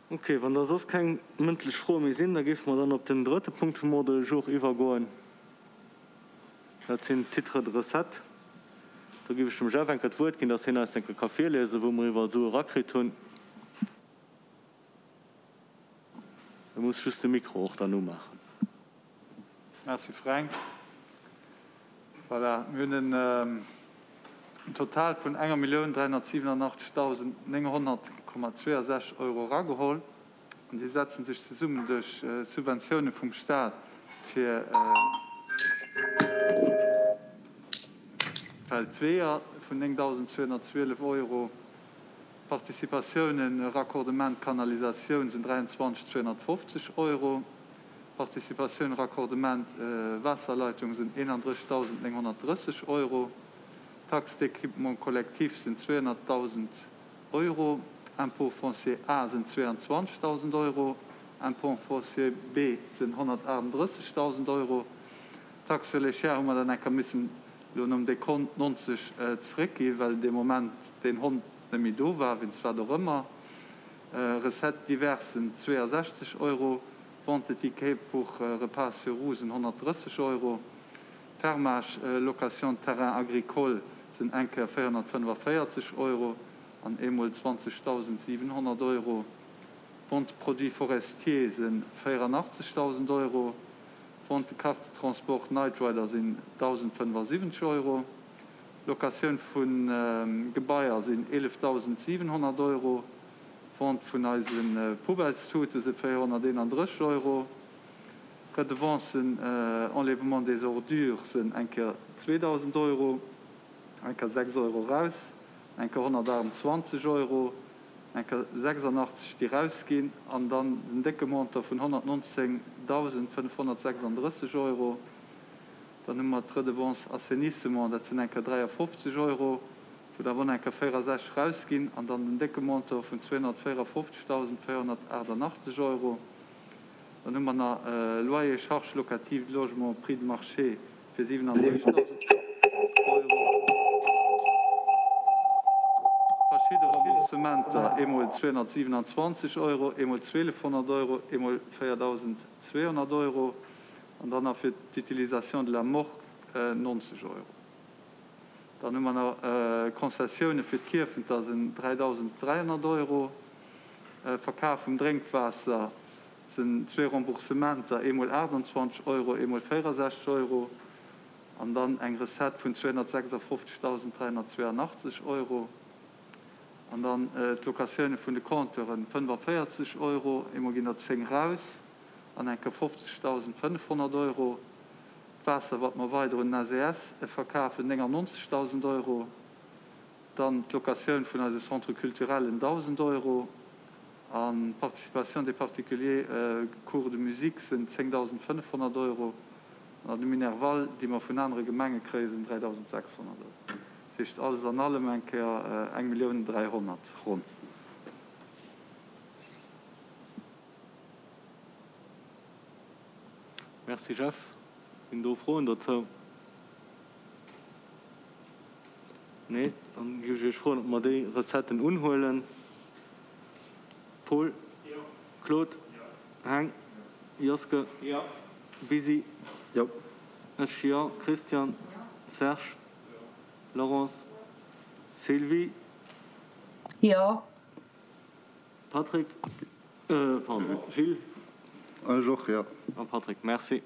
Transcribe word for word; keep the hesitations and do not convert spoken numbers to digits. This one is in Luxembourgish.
Ok, wann da soss keng mëndlech Froe méi sinn, da géife mer dann op den drëtte Punkt vum Ordre du jour iwwergoen. Dat sinn d'Titres de recettes. Do géif ech dem Jeff eng Kéier d'Wuert ginn, dass hien eis eng Kéier ka virliesen, wou mer iwwerall Sue erakritt hunn. E muss just de Mikro och dann umaachen. Merci Fränk. Voilà, mir hunn en Total vun enger Millioun dräihonnertsiwwenachtzegdausend nénghonnert Komma zweeënsechzeg Euro erageholl. An déi setzen sech zesummen duerch Subventioune vum Staat fir d'Weeër vun néngdausendzweehonnertzwielef Euro, Participatiounen Raccordement Kanalisatioun sinn dräianzwanzeg zweehonnertfofzeg Euro, Participatioun Raccordement Waasserleitung sinn eenandrëssigdausendnénghonnertdrësseg Euro, Taxe d'équipement collectif sinn zweehonnertdausend Euro, Impôt foncier A sinn zweeanzwanzegdausend Euro, Impôt foncier B sinn honnertachtendrëssigdausend Euro, Taxe sur les chairs hu mer dann eng Kéier missen elo nom Dekont nonzeg zeréckgi well dee Moment deen Hond net méi do war, wéinst wat och ëmmer. Recettes diverses sinn zweeësechzeg Euro, Vente de tickets pour repas sur roues sinn honnertdrësseg Euro, Fermage, location de terrain agricole sinn eng Kéier véierhonnertfënnefaféierzeg Euro an eemol zwanzegdausendsiwenhonnert Euro, Vente de produits forestiers si véierandachtzegdausend Euro, Vente de carte de transport Night Rider sinn dausendfënnefasiwwenzeg Euro, Locatioun vu Gebaier sinn eelefdausendsiwenhonnert Euro, Vente vun eise Poubellstute si véierhonnerteenandrësseg Euro, Redevancen enlèvement des ordures sinn eng Kéier zweedausend Euro, eng Kéier sechs Euro raus, eng Kéier honnertachtundzwanzeg Euro, eng Kéier sechsandachtzeg déi rausginn an dann den décke Montant vun honnertnonzéngdausendfënnfhonnertsechsandrësseg Euro. Dann hu mer d'Redevance assainissement, dat sinn eng Kéier dräiafofzeg Euro, wou der awer och eng Kéier véierasechzeg rausginn an dann den décke Montant vun zweehonnertvéierafofzegdausendvéierhonnertaachtandachtzeg Euro. Dann hu mer nach Loyer, charges locatives de logement, prix de marché fir siwenandrëssigdausend Euro. Verschidde Remboursementer, eemol zweehonnertsiwenanzwanzeg Euro, eemol zweelefhonnert Euro, eemol véierdausendzweehonnert Euro an dann nach fir d'Utilisation de la morgue nonzeg Euro. Dann hu mer nach Konzessioune fir d'Kierfenter sinn dräidausendräihonnert Euro. Verkaf vum Drénkwaasser sinn zwee Remboursementer, eemol aachtandzwanzeg Euro, eemol véierasechzeg Euro an dann eng Recette vun zweehonnertsechsafofzegdausendräihonnertzweeanachtzeg Euro. An dann d'Locatioune vun de Compteuren, fënnefaféierzeg Euro, eemol ginn der zéng raus an eng Kéier fofzegdausendfënnfhonnert Euro. D'Waasser, wat mer weider un den S E S verkafen, néngannonzegdausend Euro. Dann d'Locatioun vun eise Centre culturellen, dausend Euro. An d'Participation des particuliers, Cours de musique, sinn zéngdausendfënnfhonnert Euro. An de Minerval, déi mer vun anere Gemenge kréien, sinn dräidausendsechshonnert Euro. Dat heescht alles an allem eng Kéier eng Millioun dräihonnert ronn. Merci Jeff. Sinn do Froen dozou? Nee? Dann géif ech Iech froen, ob mer déi Recetten unhuelen. Paul? Jo. Claude? Jo. Heng? Jo. Joske? Jo. Bisi? Jo. Ech jo. Christian? Jo. Serge? Jo. Laurence? Sylvie? Jo. Patrick? Pardon, Gilles? Ech och, jo. A Patrick, merci.